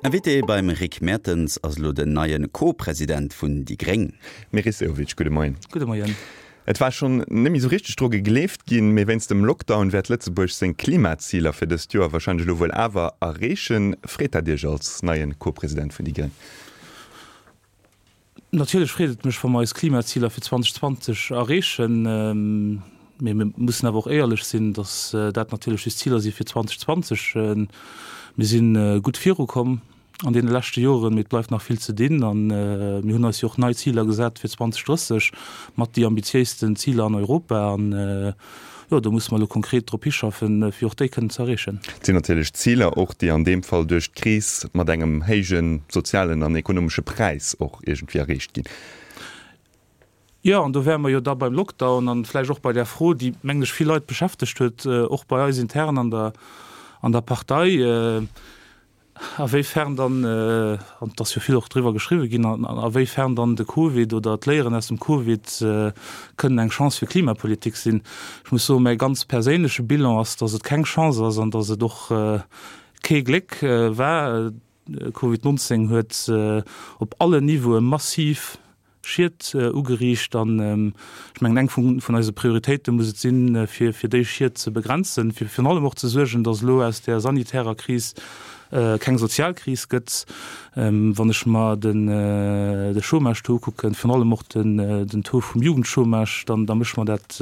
Invité beim Rick Mertens ass elo den neie Co-President vun déi gréng. Meris Sehovic, gudde Moien. Gudde Moien. Et war schonn net méi sou richteg dru gegleeft ginn, mee wéinst dem Lockdown wäert Lëtzebuerg seng Klimaziler fir dëst Joer warscheinlech elo wuel awer erreechen. Freet dat Iech als neie Co-President vun déi gréng? Natierlech freet et mech, wa mer eis Klimaziler fir 2020 erreechen. Mee mir mussen awer och éierlech sinn, datt dat natierlech just Ziler si fir 2020. Mir si gutt virukomm an deene leschte Joren, mee et bleift nach vill ze dinn. A mir hunn eis jo och nei Ziler gesat fir 2030, mat déi ambitiéisten Ziler an Europa. An jo, do musse mer elo konkret drop hischaffen, fir och déi kënnen ze erreechen. Et sinn natierlech Ziler och, déi an deem Fall duerch d'Kris mat engem héije sozialen an ekonomesche Präis och iergendwéi erreecht ginn. Jo, an do wäre mer jo da beim Lockdown an vläicht och bei där Fro, déi, mengen ech, vill Leit beschäftegt huet, och bei eis intern an der, an der Partei, a wéi fern dann, an et ass jo vill och driwwer geschriwwen ginn, a wéi fern dann de Covid oder d'Léieren aus dem Covid kënnen eng Chance fir Klimapolitik sinn. Ech muss soen, mäi ganz perséinleche Bilan ass, datt et keng Chance ass an datt et och kee Gléck war. Covid 19 huet op allen Niveaue massiv Schied ugeriicht an ech mengen eng vun eise Prioritéite muss et sinn, fir fir déi Schied ze begrenzen, fir virun allem och ze suergen, datt elo aus där sanitärer Kris keng sozial Kris gëtt. Wann ech mer den de Chômage-Taux ukucken, virun allem och den den Taux vum Jugendchômage, dann da mécht mer dat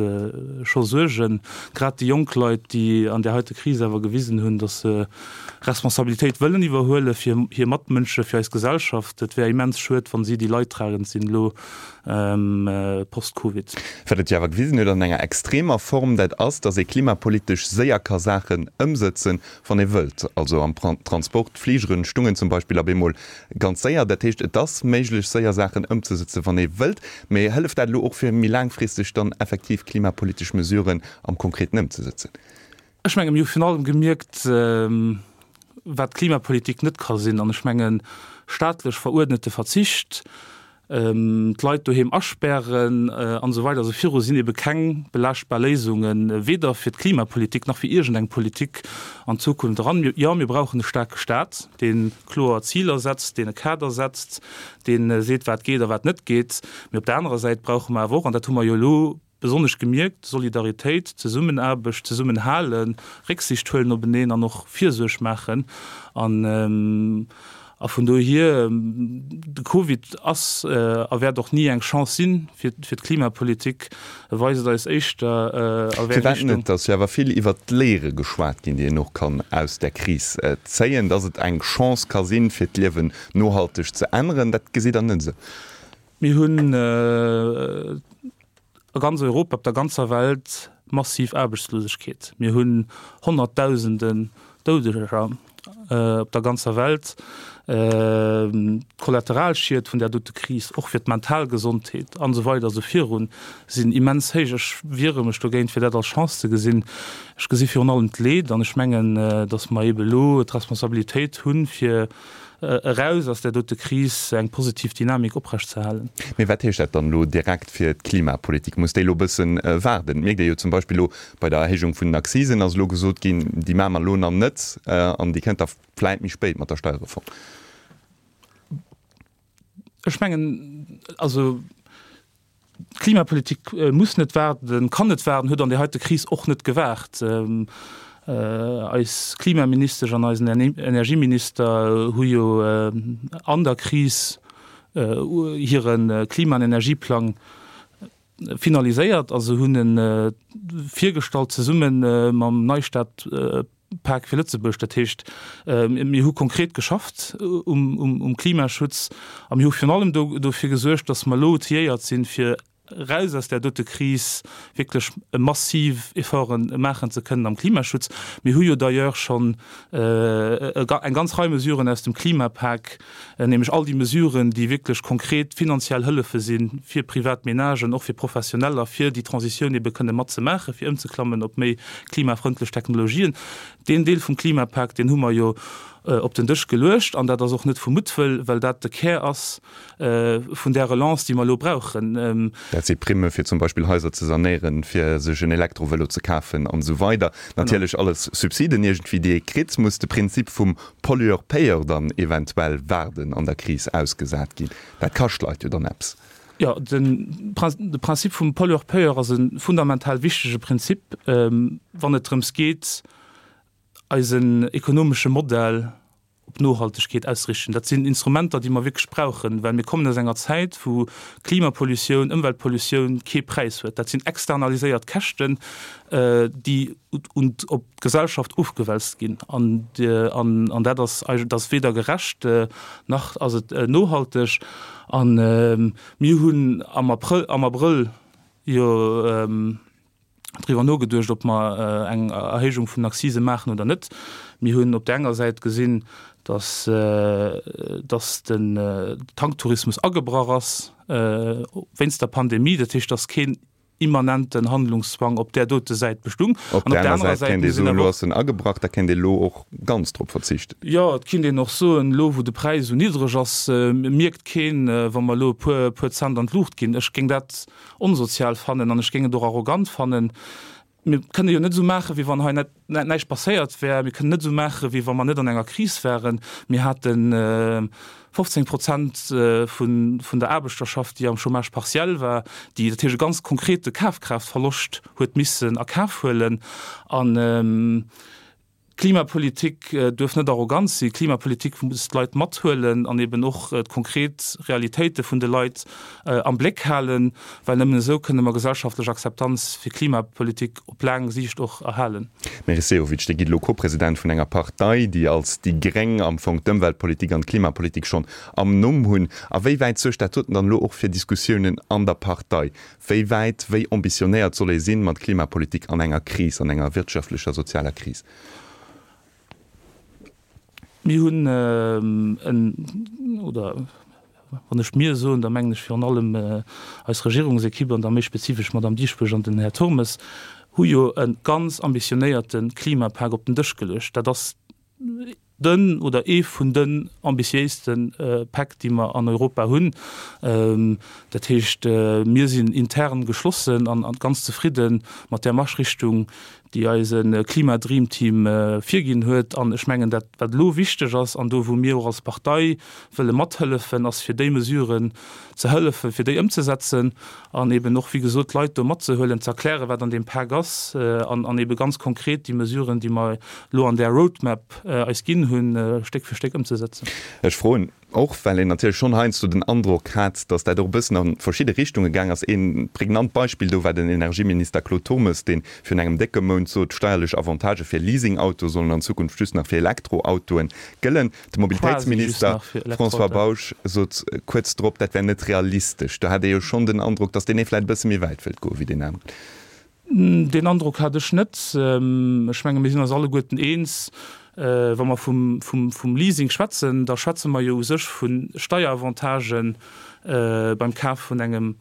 scho Suergen. Grad déi jonk Leit, déi an där heite Kris awer gewisen hunn, datt se Responsabilitéit wëllen iwwerhuele fir hir Matmënsche, fir eis Gesellschaft. Et wär immens schued, wann si déi Leidtragend sinn elo post-Covid. Wat et jo awer gewisen huet an enger extremer Form, dat ass, datt ee klimapolitesch séier ka Saachen ëmsëtzen, wann ee wëllt. Also am Transport, d'Fligeren stungen zum Beispill op eemol ganz séier. Dat heescht, et ass méiglech, séier Saachen ëmzesëtzen, wann ee wëllt. Mee hëlleft dat elo och, fir méi laangfristeg dann effektiv klimapolitesch Mesuren am Konkreten ëmzesëtzen? Ech menge mir hu virun allem gemierkt, wat Klimapolitik net ka sinn. An ech mengen, staatlech veruerdnete Verzicht, d'Leit doheem aspären an esou weider esou viru sinn ebe keng belaaschtbar Léisungen, weder fir d'Klimapolitik nach fir iergendeng Politik an d'Zukunft eran. Jo, mir brauchen e staarke Staat, dee kloer Ziler setzt, deen e Kader setzt, dee seet, wat geet a wat net geet. Mee op der anerer Säit brauche mer awer och, an dat hu mer jo elo Besonnesch gemierkt, Solidaritéit, Zesummenaarbecht, Zesummenhalen, Récksiicht huelen openeen an och Virsuerg maachen. An a vun dohier, de Covid ass a wäert och ni eng Chance si fir d'Klimapolitik. E weist eis éischter a wéi eng Firwat Richtung. net? Et ass jo awer vill iwwert d'Léiere geschwat ginn, déi een och kann aus där Kris zéien. Dass et eng Chance ka sinn, fir d'Liewen nohalteg ze änneren, dat gesitt Der net esou? Mir hunn a ganz Europa, op der ganzer Welt massiv Aarbechtslosegkeet. Mir hunn Honnertdausenden Doudeger op der ganzer Welt. D'Kollateralschied vun där dote Kris, och fir d'mental Gesondheet an esou weider esou virun, sinn immens héich. Ech wiere mech dogéint, fir dat als Chance ze gesinn. Ech gesi virun allem d'Leed an ech mengen, datt mer eebe elo d'Responsabilitéit hunn, fir eraus aus där dote Kris eng positiv Dynamik oprechtzeerhalen. Mee wat heescht dat dann elo direkt fir d'Klimapolitik? Muss déi elo e bëssen waarden? Et mierkt ee jo zum Beispill elo bei der Erhéijung vun den Accisen ass elo gesot ginn, déi maache mer elo nach net an déi kënnt da vläit méi spéit mat der Steierreform. Ech mengen, also D'Klimapolitik muss net waarden, kann net waarden, huet an där heite Kris och net gewaart. Eis Klimaministesch an eisen Energieminister hu jo an der Kris hire Klima an Energieplang finaliséiert a se hunn e virgestallt zesumme mam Neistart Pak fir Lëtzebuerg. Dat heescht, mir hu konkret geschafft um Klimaschutz a mir hu virun allem dofir gesuergt, datt mer elo outilléiert sinn, fir eraus aus där dote Kris wierklech massiv Efforte maachen ze kënnen am Klimaschutz. Mir hu jo d'ailleurs schonn eng ganz Rei Mesuren aus dem Klimapak, nämlech all déi Mesuren, déi wierklech konkret finanziell Hëllefe si fir privat Menagen, och fir Professioneller, fir déi Transitioun ebe kënne matzemaachen, fir ëmzeklammen op méi klimafrëndlech Technologien. Deen Deel vum Klimapak, deen hu mer jo. op den Dësch geluecht. An dat ass och net vu Muttwëll, well dat de Kär ass vun där Relance, déi mer elo brauchen. Dat si Primme fir zum Beispill Haiser ze sanéieren, fir sech en Elektrovëlo ze kafen an esou weider. Natierlech alles Subsiden iergendwéi, déi ee kritt. Muss de Prinzip vum Pollueur-payeur dann eventuell waarden an der Kris ausgesat ginn? Dat kascht Leit jo dann eppes. Jo, de Principe vum Pollueur-payeur ass e fundamental wichtege Prinzip, wann et drëms geet, eisen ekonomesche Modell op Nohaltegkeet auszerichten. Dat sinn Instrumenter, déi mer wierklech brauchen, well mir kommen aus enger Zäit, wou Klimapollutioun, Ëmweltpollutioun kee Präis huet. Dat sinn externaliséiert Käschten, déi op d'Gesellschaft ofgewälzt ginn. An dat ass dat ass weder gerecht nach ass et nohalteg. A mir hunn am Abrëll, am Abrëll jo driwwer nogeduecht, ob mer eng Erhéijung vun den Accisen maachen oder net. Mir hunn op där enger Säit gesinn, dass, dass den Tanktourismus agebrach ass wéinst der Pandemie. Dat heescht, dass keen immanenten Handlungszwang op där dote Säit bestung. Op där anerer Säit kéint ee soen, elo ass en agebrach, da kéint ee elo och ganz drop verzichten. Jo, et kinnt een och soen, elo wou de Präis esou niddreg ass, mierkt keen, wa mer elo e puer, puer Cent an d'Luucht ginn. Ech géing dat onsozial fannen an ech géing et och arrogant fannen. Mir kënne jo net esou maachen, wéi wann hei net näischt passéiert wär. Mir kënnen net esou maachen, wéi wa mer net an enger Kris wären. Mir hate 15 Prozent vun der Aarbechterschaft, déi am Chômage partiel war, déi dat heescht e ganz konkrete Kafkraaftverloscht huet missen a Kaf huelen. An Klimapolitik duerf net arrogant sinn. Klimapolitik muss d'Leit mathuelen an eben och d'konkret Realitéite vun de Leit am Bléck halen, well nëmmen esou kënne mer gesellschaftlech Akzeptanz fir Klimapolitik op laang Siicht och erhalen. Meris Sehovic, Dir gitt elo Co-President vun enger Partei, déi als déi Gréng am Fong d'Ëmweltpolitik an d'Klimapolitik schonn am Numm hunn. A wéi wäit suergt dat doten dann elo och fir Diskussiounen an der Partei? Wéi wäit, wéi ambitionéiert soll ee sinn mat Klimapolitik an enger Kris, an enger wirtschaftlecher, sozialer Kris? Mir hunn en, oder wann ech mir soen, da mengen ech virun allem eis Regierungsequipe an da méi spezifesch d'Madame Dieschbourg an den Här Turmes, hu jo e ganz ambitionéierte Klimapak op den Dësch geluecht. Dat ass den oder ee vun den ambitiéiste Päck, déi mer an Europa hunn. Dat heescht, mir sinn intern geschlossen an ganz zefridde mat där Marschrichtung, déi eise Klima-Dream-Team virginn huet. An ech mengen, dat wat elo wichteg ass an do wou mir och als Partei wëlle mathëllefen, ass fir déi Mesuren ze hëllefen, fir déi ëmzesetzen an eben och, wéi gesot, d'Leit do matzehuelen, ze erklären, wat an deem Pak ass an an ebe ganz konkret déi Mesuren, déi mer elo an där Roadmap eis ginn hunn, Stéck fir Stéck ëmzesetzen. Ech froen och, well een natierlech schonn heiansdo den Androck hat, datt dat och e bëssen a verschidde Richtunge gaang ass. Ee prägnant Beispill do war den Energieminister Claude Turmes, dee virun engem décke Mount sot, steierlech Avantagë fir Leasingautoe sollen an Zukunft just nach fir Elektroautoe gëllen. De Mobilitéitsminister François Bausch sot kuerz drop, dat wär net realistesch. Do hat ee jo schonn den Androck, datt deen ee vläicht e bësse méi wäit wëllt goe wéi deen aneren. Deen Androck hat ech net. Ech menge mir sinn eis alleguerten eens, wa mer vum Leasing schwätzen, da schwätze mer jo u sech vu Steieravantagen beim Kaf vun engem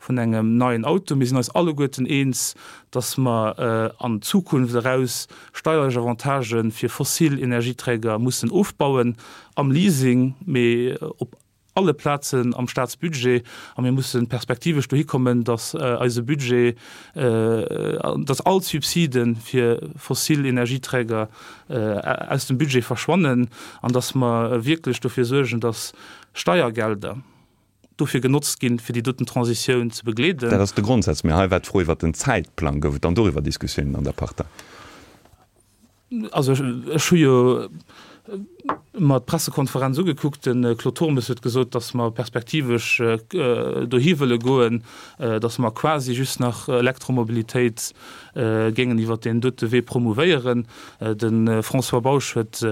vun engem neien Auto. Mir sinn eis alleguerten eens, dass mer an d'Zukunft eraus steierlech Avantagë fir fossil Energieträger mussen ofbauen am Leasing, mee op alle Plazen am Staatsbudget. A mir musse perspektivesch dohi kommen, dass eise Budget, dass all d'Subside fir fossil Energieträger aus dem Budget verschwannen an dass mer wierklech dofir suergen, dass Steiergelder, dofir genotzt ginn, fir déi doten Transitioun ze begleeden. Dat ass de Grondsaz. Mee hei war d'Fro iwwert den Zäitplang. Gouf et dann doriwwer Diskussiounen an der Partei? Also ech hu jo mer d'Pressekonferenz ugekuckt. De Claude Turmes huet gesot, datt mer perspektivesch dohi wëlle goen, datt mer quasi just nach Elektromobilitéit géingen iwwert deen dote Wee promouvéieren. De François Bausch huet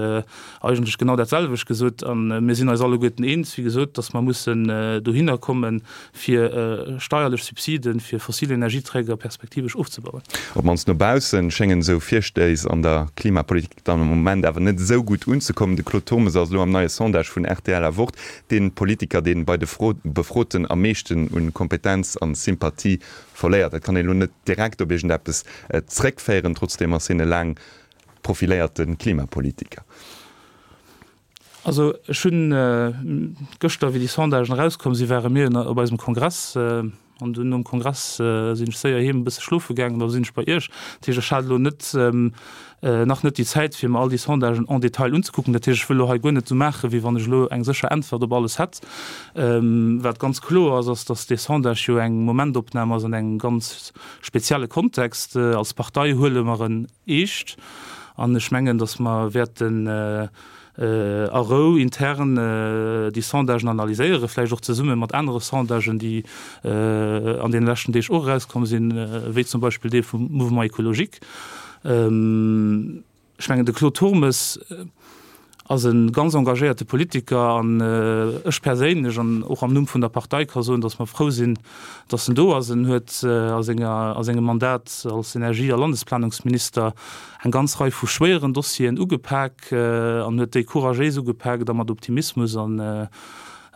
eigentlech genau dat selwecht gesot. A mir sinn eis alleguerten eens, wéi gesot, datt mer mussen dohinner kommen, fir steierlech Subside fir fossil Energieträger perspektivesch ofzebauen. Op d'mannst no baussen schéngen esou Virstéiss an der Klimapolitik dann am Moment awer net esou gutt unzekommen. De Claude Turmes ass elo am neie Sondage vun rtl a Wort dee Politiker, dee bei de Befroten am meeschten un Kompetenz an Sympathie Verléiert. Dat kann een elo net direkt op iergendeppes zréckféieren. Trotzdeem ass hien e laang profiléierte Klimapolitiker. Also ech hunn gëschter, wéi déi Sondagen erauskomm sinn, ware mir op eisem Kongress an dunn nom Kongress sinn ech séier heem e bësse schlofe gaangen, da sinn ech bei Iech. Dat heescht, ech hat elo net, nach net déi Zäit, fir mer all déi Sondagen en détail unzekucken. Dat heescht, ech wëll elo hei guer net esou maachen, wéi wann ech elo eng sécher Äntwert op alles hätt. Wat ganz kloer ass, ass, datt dee Sondage jo eng Momentopnam ass an engem ganz spezielle Kontext. Als Partei huele mer en eescht an ech mengen, datt mer wäerten a Rou intern déi Sondagen analyséieren, vläicht och zesumme mat anere Sondagen, déi an deene leschten Deeg och erauskomm sinn, wéi zum Beispill dee vum Mouvement écologique. Ech mengen, de Claude Turmes ass e ganz engagéierte Politiker an ech perséinlech an och am Numm vun der Partei ka soen, datt mer frou sinn, datt en do ass. En huet a senger, a sengem Mandat als Energie a Landesplanungsminister eng ganz Rei vu schwéieren Dossieren ugepak an huet déi couragéis ugepaakt a mat Optimismus an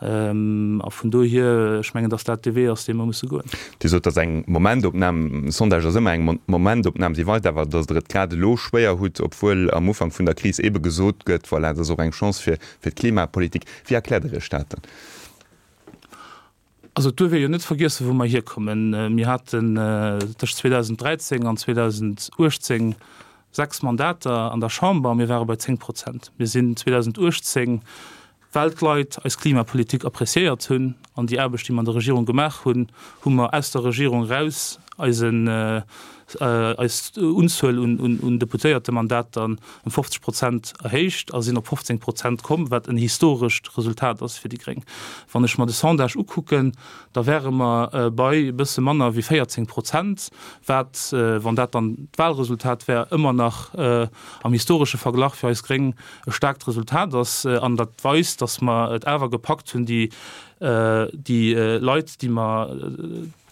a vun dohier, ech mengen, datt dat dee Wee ass, dee mer musse goen. Dir sot, datt eng Momentopnam, Sondage ass ëmmer eng Momentopnam, si weist awer, datt Der et grad elo schwéier hutt, obwuel am Ufank vun der Kris eebe gesot gëtt, voilà, et ass och eng Chance fir d'Klimapolitik. Wéi erkläert Der Iech dat dann? Also et duerf ee jo net vergiessen, wou mer hierkommen. Mir haten tëscht 2013 an 2018 sechs Mandater an der Chamber a mir ware bei 10 Prozent. Mir sinn 2018, well d'Leit eis Klimapolitik appreciéiert hunn an déi Aarbecht, déi mer an der Regierung gemaach hunn, hu mer aus der Regierung eraus eisen, eis Unzuel un Deputéiertemandater ëm 50 Prozent erhéicht a sinn op 15 Prozent komm, wat en historescht Resultat ass fir déi Gréng. Wann ech mer de Sondage ukucken, da wäre mer bei e bësse manner wéi 14 Prozent, wat, wann dat dann d'Wahlresultat wär, ëmmer nach am historesche Verglach fir eis Gréng e staarkt Resultat ass. An dat weist, datt mer et awer gepackt hunn, déi Leit, déi mer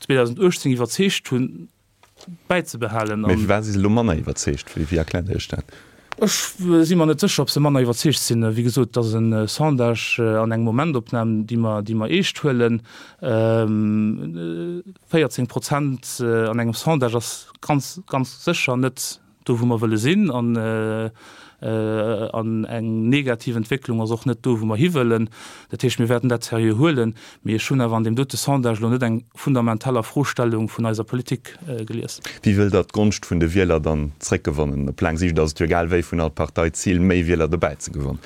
2018 iwwerzeegt hunn, bäizebehalen. Mee firwat si se elo manner iwwerzeegt? Wéi erkläert Dir Iech dat? Ech si mer net sécher, ob se manner iwwerzeegt sinn. Wéi gesot, et ass e Sondage an eng Momentopnam, déi mer, déi mer eescht huelen. 14 Prozent an engem Sondage ass ganz, ganz sécher net do wou mer wëlle sinn an an eng negativ Entwécklung ass och net do wou mer hiwëllen. Dat heescht, mir wäerten dat seriö huelen, mee ech hunn awer an deem dote Sondage elo net eng fundamental Afrostellung vun eiser Politik gelies. Wéi wëllt Der d'Gonscht vun de Wieler dann zréckgewannen? Op laang Siicht ass et jo egal wéi vun all Partei d'Zil méi Wieler dobäi ze gewannen.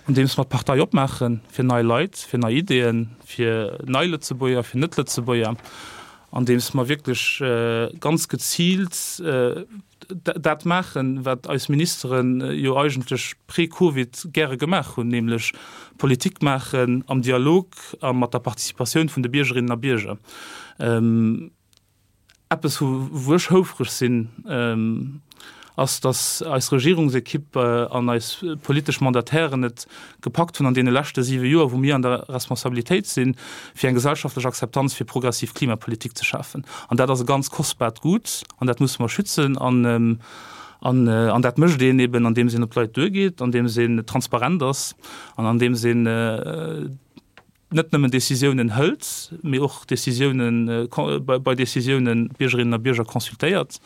Andeems mer d'Partei opmaache fir nei Leit, fir nei Ideeën, fir nei Lëtzebuerger, fir Net-Lëtzebuerger, andeems mer wierklech ganz geziilt dat maachen, wat eis Ministere jo eigentlech pre-Covid gäre gemaach hunn, nämlech Politik maachen am Dialog a mat der Participatioun vun de Biergerinnen a Bierger. Eppes, wou ech houfreg sinn, ass, datt eis Regierungsekipp an eis politesch Mandatairen et gepackt hunn an deene leschte siwe Joer, wou mir an der Responsabilitéit sinn, fir eng gesellschaftlech Akzeptanz fir progressiv Klimapolitik ze schafen. An dat ass e ganz kostbaart Gut an dat musse mer schützen. An, an dat mécht een eben, andeems een op d'Leit duergeet, andeems een transparent ass an andeems een, net nëmmen Décisiounen hëlt, mee och Décisiounen, bei Décisiounen d'Biergerinnen a Bierger consultéiert.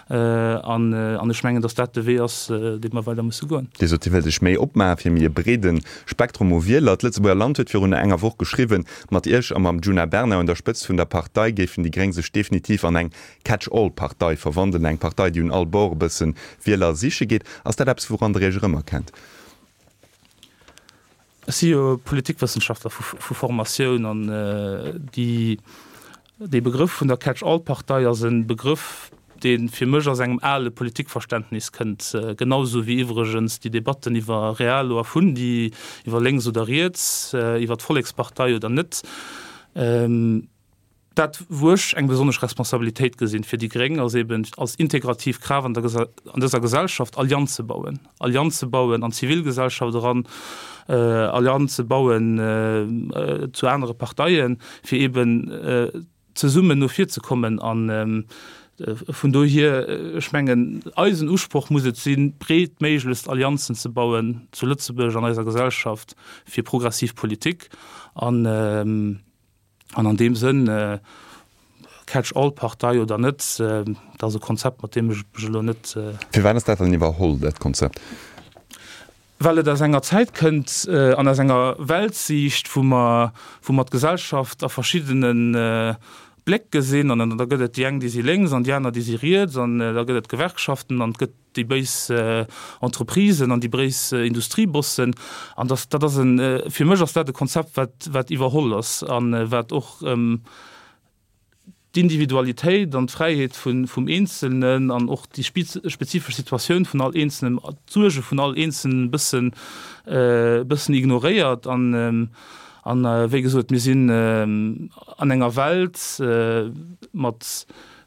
An ech mengen, datt dat de Wee ass, dee mer weider musse goen. Dir sot, Dir wëllt Iech méi opmaachen, fir méi e breede Spektrum u Wieler. D'Lëtzebuerger Land huet virun enger Woch geschriwwen, mat Iech a mam Djuna Bernard un der Spëtzt vun der Partei géifen déi Gréng sech definitiv an eng Catch-all-Partei verwandelen, eng Partei, déi un all Bord e bësse Wieler siche geet. Ass dat eppes, wouran Der Iech erëmerkennt? Ech si jo Politikwëssenschaftler vu Formatioun an déi, dee Begrëff vun der Catch-all-Partei ass e Begrëff, dee fir mech aus engem ale Politikverständnis kënnt, genau esou wéi iwwregens déi Debatten iwwer Realo a Fundi, iwwer lénks oder riets, iwwer d'Vollekspartei oder net. Dat, wou ech eng besonnesch Responsabilitéit gesinn fir déi Gréng, ass eben als integrativ Kraaft an der an dëser Gesellschaft Allianze bauen, Allianze bauen an d'Zivilgesellschaft eran, Allianze bauen zu anere Parteien, fir eben zesummen no vir ze kommen. A vun dohier, ech mengen, eisen Usproch muss et sinn, breetméiglechst Allianzen ze bauen zu Lëtzebuerg an eiser Gesellschaft fir progressiv Politik. An An an deem Sënn, Catch-all-Partei oder net, dat ass e Konzept, mat deem ech mech elo net. Firwat ass dat dann iwwerholl, dat Konzept? Well et aus enger Zäit kënnt an aus enger Weltsiicht, wou mer, wou mer d'Gesellschaft a verschiddene Bléck gesinn. An da gëtt et déi eng, déi si lénks an déi aner, déi si riets. An da gëtt et d'Gewerkschaften an et gëtt déi béis Entreprisen an déi béis Industriebossen. An dat, dat ass en, fir mech ass dat e Konzept, wat, wat iwwerholl ass a wat och d'Individualitéit an d'Fräiheet vum Eenzelnen an och déi spezifesch Situatioun vun all Eenzelnem, d'Suerge vun all Eenzelnen e bëssen, e bëssen ignoréiert. An, an wéi gesot, mir sinn an enger Welt mat,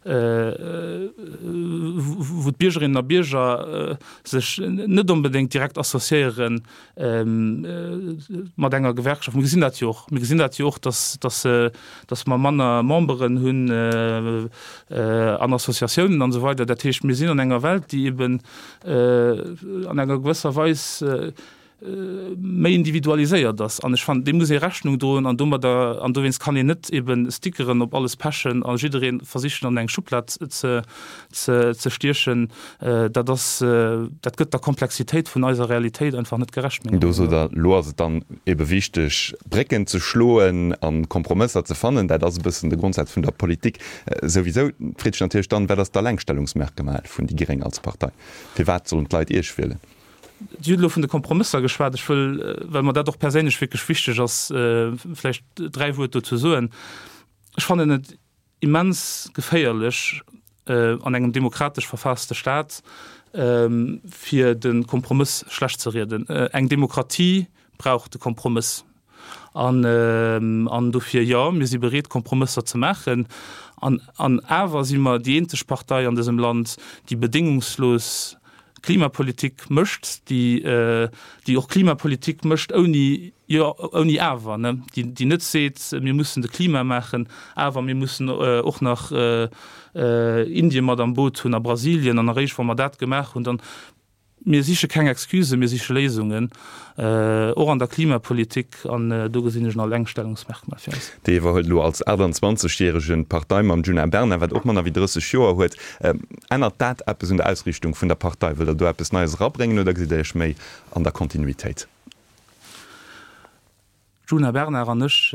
wou d'Biergerinnen a Bierger sech net onbedéngt direkt associéieren mat enger Gewerkschaft. Mir gesinn dat jo och. Mir gesinn dat jo och, dass, dass, dass mer manner Memberen hunn an Associatiounen an esou weider. Dat heescht, mir sinn an enger Welt, déi eben an enger gewësser Weis méi individualiséiert ass. An ech fannen, deem muss ee Rechnung droen an domadder, an dowéinst kann een net eben Stickeren op alles pechen a jidderee versichen an eng Schublad ze, ze stiechen, dat ass, dat gëtt der Komplexitéit vun eiser Realitéit einfach net gerecht, menger Do sot Der, elo ass et dann ebe wichteg, Brécken ze schloen a Kompromësser ze fannen. Dat ass e bëssen de Grondsaz vun der Politik souwisou. Et freet sech natierlech dann, Wat ass d'Allengstellungsmerkmal vun déi Gréng als Partei? Firwat sollen d'Leit Iech wielen? Dir hutt elo vun de Kompromësser geschwat. Ech wëll, well mer dat och perséinlech wierklech wichteg ass, vläicht dräi Wuert dozou soen. Ech fannen et immens geféierlech an engem demokratesch verfaasste Staat, fir de Kompromëss schlecht ze rieden. Eng Demokratie brauch de Kompromëss. An dofir, jo, mir si bereet, Kompromësser ze maachen. An awer si mer déi eenzeg Partei an dësem Land, déi bedéngungslos Klimapolitik mécht, déi, déi och Klimapolitik mécht ouni, jo, ouni awer, ne, déi, déi net seet, mir mussen de Klima maachen, awer mir mussen och nach Indien mat am Boot hunn a Brasilien an eréischt wa mer dat gemaach hunn, dann. Mir siche keng Excusen, mir siche Léisungen, och an der Klimapolitik, an do gesinn ech en Allengstellungsmerkmal fir eis. Déi iwwerhëlt elo als 28 järegen d'Partei mam Djuna Bernard, wat och manner wéi 30 Joer huet. Ännert dat eppes un der Ausriichtung vun der Partei? Wëllt der do eppes Neies erabréngen oder gesitt der Iech méi an der Kontinuitéit? D'Djuna Bernard an ech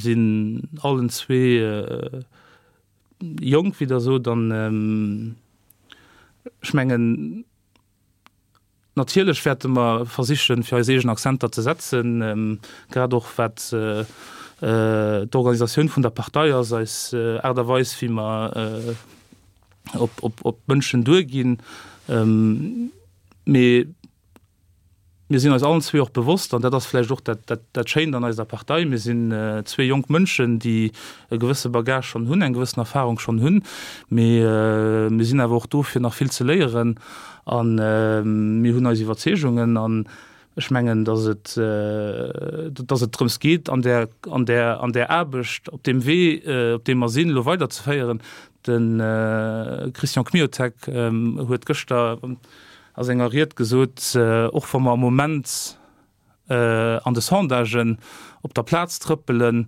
sinn allen zwee jonk, wéi Der sot, an ech mengen, Natierlech wäerte mer versichen, fir eis eegen Akzenter ze setzen, grad och wat d'Organisatioun vun der Partei ass, eis Aart a Weis, wéi mer op d'Mënschen duerginn. Mee mir sinn eis allen zwee och bewosst, an dat ass vläicht och dat Schéint an eiser Partei, mir sinn zwee jonk Mënschen, déi e gewësse Bagage schonn hunn, eng gewëssen Erfahrung schonn hunn, mee mir sinn awer och do fir nach vill ze léieren a mir hunn eis Iwwerzeegungen an ech mengen, datt et, datt et drëms geet an där, an där, an där Aarbecht op deem Wee, op deem mer sinn, elo weiderzeféieren. De Christian Kmiotek huet gëschter a senger Ried gesot, och wa mer am Moment, an de Sondagen op der Plaz trëppelen,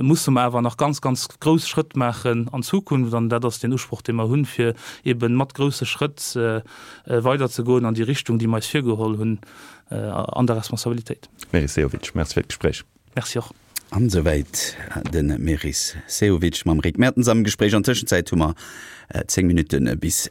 musse mer awer nach ganz, ganz grouss Schrëtt maachen an Zukunft. An dat ass deen Usproch, dee mer hunn, fir eebe mat grousse Schrëtt weiderzegoen an déi Richtung, déi mer eis virgeholl hunn an der Responsabilitéit. Meris Sehovic, Merci fir d'Gespréich. Merci och. An esouwäit de Meris Sehovic mam Rick Mertens am Gespréich. An Tëschenzäit hu mer 10 Minutte bis.